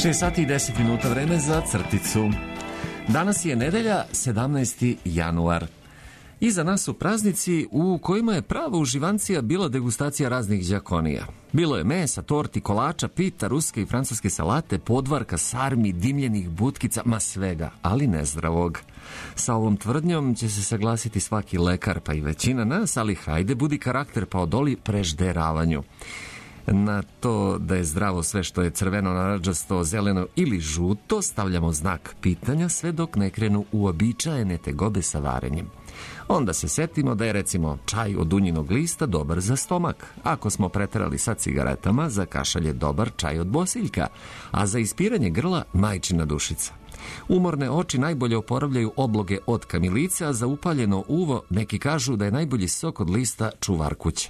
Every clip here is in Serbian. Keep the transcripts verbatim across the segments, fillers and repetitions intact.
šest sati i deset minuta, vreme za crticu. Danas je nedelja, sedamnaesti januar. Iza nas su praznici u kojima je prava uživancija bila degustacija raznih đakonija. Bilo je mesa, torti, kolača, pita, ruske i francuske salate, podvarka, sarmi, dimljenih butkica, ma svega, ali nezdravog. Sa ovom tvrdnjom će se saglasiti svaki lekar, pa i većina nas, ali hajde, budi karakter pa odoli prežderavanju. Na to da je zdravo sve što je crveno, narandžasto, zeleno ili žuto stavljamo znak pitanja sve dok ne krenu uobičajene tegobe sa varenjem. Onda se setimo da je recimo čaj od dunjinog lista dobar za stomak. Ako smo preterali sa cigaretama, za kašalj je dobar čaj od bosiljka, a za ispiranje grla majčina dušica. Umorne oči najbolje oporavljaju obloge od kamilice, a za upaljeno uvo neki kažu da je najbolji sok od lista čuvar kuće.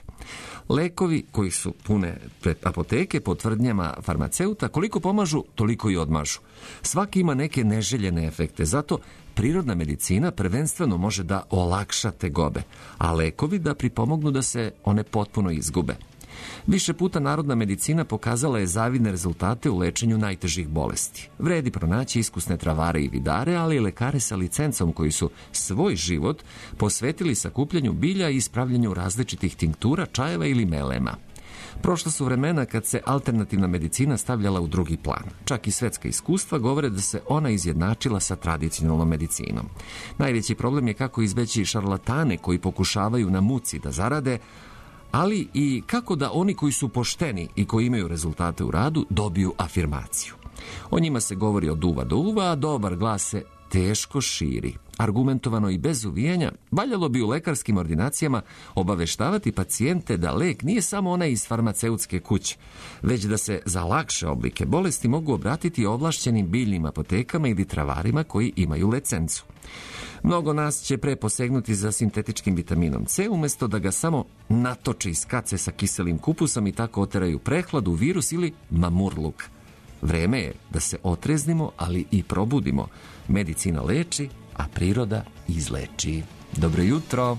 Lekovi koji su pune apoteke po tvrdnjama farmaceuta, koliko pomažu, toliko i odmažu. Svaki ima neke neželjene efekte, zato prirodna medicina prvenstveno može da olakša tegobe, a lekovi da pripomognu da se one potpuno izgube. Više puta narodna medicina pokazala je zavidne rezultate u lečenju najtežih bolesti. Vredi pronaći iskusne travare i vidare, ali i lekare sa licencom koji su svoj život posvetili sakupljanju bilja i ispravljanju različitih tinktura, čajeva ili melema. Prošla su vremena kad se alternativna medicina stavljala u drugi plan. Čak i svetska iskustva govore da se ona izjednačila sa tradicionalnom medicinom. Najveći problem je kako izbeći šarlatane koji pokušavaju na muci da zarade, ali i kako da oni koji su pošteni i koji imaju rezultate u radu dobiju afirmaciju. O njima se govori od uva do uva, a dobar glas se teško širi. Argumentovano i bez uvijanja, valjalo bi u lekarskim ordinacijama obaveštavati pacijente da lek nije samo onaj iz farmaceutske kuće, već da se za lakše oblike bolesti mogu obratiti ovlašćenim biljnim apotekama ili travarima koji imaju licencu. Mnogo nas će pre posegnuti za sintetičkim vitaminom C, umjesto da ga samo natoče iz kace sa kiselim kupusom i tako oteraju prehladu, virus ili mamurluk. Vreme je da se otreznimo, ali i probudimo. Medicina leči, a priroda izleči. Dobro jutro!